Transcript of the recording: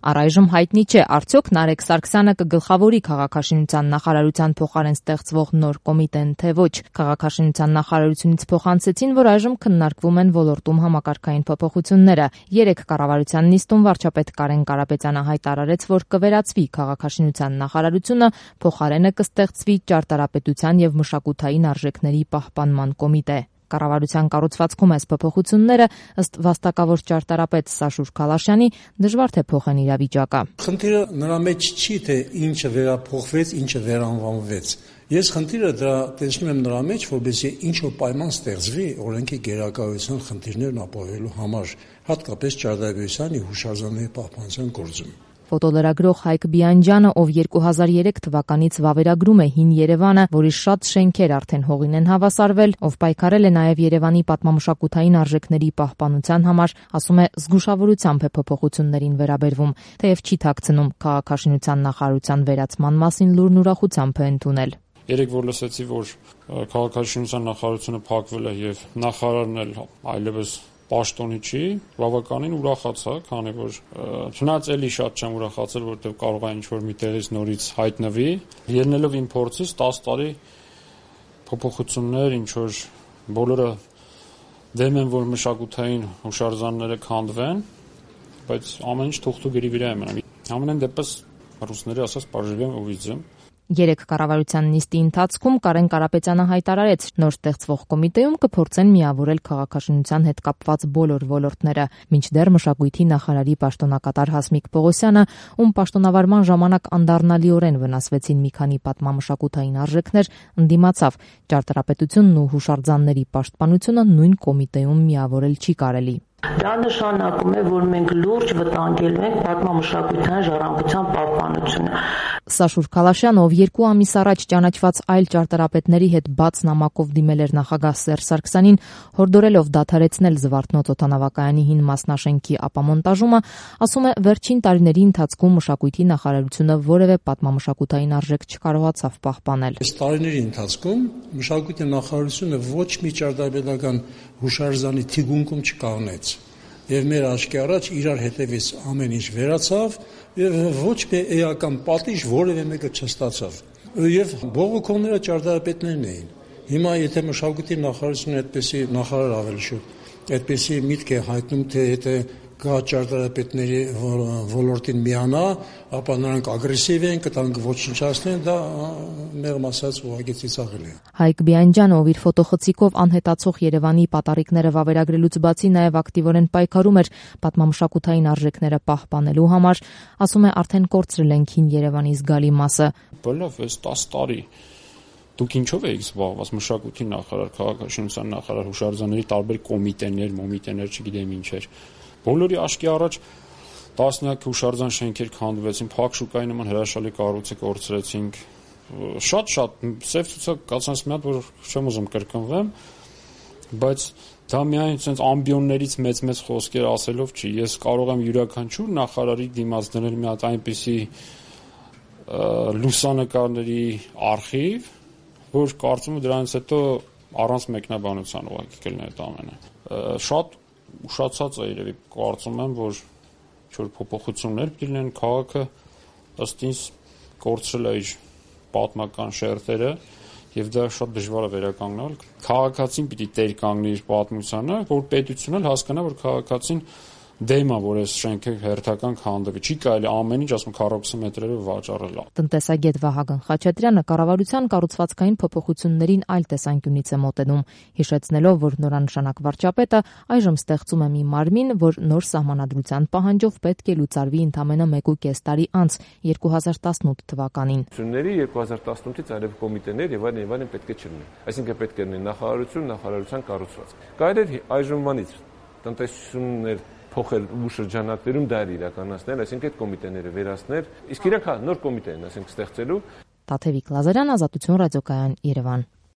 Առայժմ հայտնի չէ, արդյոք Նարեկ Սարգսյանը կգլխավորի քաղաքաշինության նախարարության փոխարեն ստեղծվող նոր կոմիտեն, թե ոչ։ Քաղաքաշինության նախարարությունից փոխանցեցին, որ այժմ քննարկվում են ոլորտում համակարգային փոփոխությունները։ Երեկ կառավարության նիստում վարչապետ Կարեն Կարապետյանը հայտարարեց, որ կվերածվի քաղաքաշինության նախարարությունը, փոխարենը կստեղծվի ճարտարապետության եւ մշակութային արժեքների պահպանման կոմիտե։ Կառավարության կառուցվածքում այս փոփոխությունները ըստ վաստակավոր ճարտարապետ Սաշուր Քալաշյանի դժվար թե փոխեն իրավիճակը։ Խնդիրը նրա մեջ չի, թե ինչը վերափոխվեց, ինչը վերանվանվեց։ Ես խնդիրը դրա տեսնում եմ նրա մեջ, որպեսզի ինչ-որ պայման ստեղծվի օրենքի գերակայության խնդիրներն ապահովելու համար, հատկապես ճարտարապետության եւ հուշարձանների պահպանության գործում։ Ֆոտոլրագրող Հայկ Բիանջյանը, ով 2003 թվականից վավերագրում է Հին Երևանը, որի շատ շենքեր արդեն հողին են հավասարվել, ով պայքարել է նաև Երևանի պատմամշակութային արժեքների պահպանության համար, ասում է զգուշավորությամբ է փոփոխություններին վերաբերվում, թեև չի թաքցնում քաղաքաշինության նախարարության վերացման մասին լուրն ուրախությամբ է ընդունել։ Երեք որ լսեցի, որ քաղաքաշինության նախարարությունը փակվել է եւ նախարարն էլ այլևս պաշտոնի չի, բավականին ուրախացա, քանի որ չնայած էլի շատ չեմ ուրախացել, որովհետև կարող է ինչ-որ մի տեղից նորից հայտնվի, ելնելով իմ փորձից 10 տարի փոփոխություններ, ինչ-որ բոլորը դեմ են, որ մշակութային հուշարձանները քանդվեն, բայց ամեն ինչ թուղթու գրի վրա է մնում։ Ամենայն դեպս ռուսների ասած «Поживем увидим»։ Երեկ կառավարության նիստի ընթացքում Կարեն Կարապետյանը հայտարարեց, նոր ստեղծվող կոմիտեում կփորձեն միավորել քաղաքաշինության հետ կապված բոլոր ոլորտները, մինչդեռ մշակույթի նախարարի պաշտոնակատար Հասմիկ Պողոսյանը, ում պաշտոնավարման ժամանակ անդառնալիորեն վնասվեցին մի քանի պատմամշակութային արժեքներ, ընդդիմացավ ճարտարապետությունն ու հուշարձանների պաշտպանությունը նույն կոմիտեում միավորել չի կարելի։ Դա նշանակում է, որ մենք լուրջ վտանգելու ենք պատմամշակութային ժառանգության պահպանությունը։ Սաշուր Քալաշյանը, ով 2 ամիս առաջ ճանաչված այլ ճարտարապետների հետ բաց նամակով դիմել էր նախագահ Սերժ Սարգսյանին, հորդորելով դադարեցնել Զվարթնոց օդանավակայանի հին մասնաշենքի ապամոնտաժումը, ասում է, վերջին տարիների ընթացքում մշակույթի նախարարությունը որևէ պատմամշակութային արժեք չկարողացավ պահպանել։ Այս տարիների ընթացքում մշակույթի նախարարությունը ոչ մի ճարտարապետական հուշարձանի թիկունքում չկանգնեց։ Եվ մեր աչքի առաջ իրար հետևից ամեն ինչ վերացավ եւ ոչ մի էական պատիժ որևէ մեկը չստացավ։ Եվ բողոքողները ճարտարապետներն էին։ Հիմա եթե մշակույթի նախարարությունը այդպեսի նախարար ավելի շուտ այդպեսի միտք է հայտնում, թե եթե կա ճարտարապետների ոլորտին միանա, ապա նրանք ագրեսիվ են, կտանք ոչնչացնեն, դա մեղմ ասած ուղղակի ծիծաղել է։ Հայկ Բիանջյանը, ով իր ֆոտոխցիկով անհետացող Երևանի պատառիկները վավերագրելուց բացի նաև ակտիվորեն պայքարում էր պատմամշակութային արժեքները պահպանելու համար, ասում է, արդեն կորցրել ենք Հին Երևանի զգալի մասը։ Բլավ, այս 10 տարի դուք ինչով եք զբաղված, մշակույթի նախարար, քաղաքաշինության նախարար, հուշարձանների տարբեր կոմիտեներ, չգիտեմ ինչեր։ Բոլորի աչքի առաջ տասնյակ հուշարձան շենքեր քանդվեցին, փակ շուկայի նման հրաշալի կառույցը կորցրեցինք։ Շատ սև ցուցակ կացած մի հատ, որ չեմ ուզում կրկնվեմ, բայց դա միայն ցենց ամբիոններից մեծ խոսքեր ասելով չի։ Ես կարող եմ յուրաքանչյուր նախարարի դիմաց դնել մի հատ այնպիսի լուսանկարների արխիվ, որ կարծում եմ դրանից հետո առանց մեկնաբանության ուղղակի կլինի այդ ամենը։ Շատ ուշացած է երևի, կարծում եմ, որ ինչ-որ փոփոխություններ լինեն, քաղաքը ըստ ինձ կորցրել է իր պատմական շերտերը եւ դա շատ դժվար է վերականգնել։ Քաղաքացին պիտի տեր կանգնի իր պատմությանը, որ պետությունն էլ հասկանա, որ քաղաքացին դեմ է, որ այս շենքը հերթական քանդվի։ Չի կարելի ամեն ինչ, ասում, քառակուսի մետրերով վաճառել։ Տնտեսագետ Վահագն Խաչատրյանը կառավարության կառուցվածքային փոփոխություններին այլ տեսանկյունից է մոտենում, հիշեցնելով, որ նորանշանակ վարչապետը այժմ ստեղծում է մի մարմին, որ նոր սահմանադրության պահանջով պետք է լուծարվի ընդամենը 1.5 տարի անց 2018 թվականին։ 2018-ից այլև կոմիտեներ եւ այլն պետք է չլինեն։ Այսինքն պետք է լինի նախարարության կառուցվածք։ Կարելի է այժմյանից տնտեսություններ փոխել ու շրջանակներում դա իրականացնել, այսինքն այդ կոմիտեները վերացնել, իսկ իրանք նոր կոմիտե են, ասենք, ստեղծելու։ Տաթևիկ Լազարյան, Ազատություն ռադիոկայան, Երևան։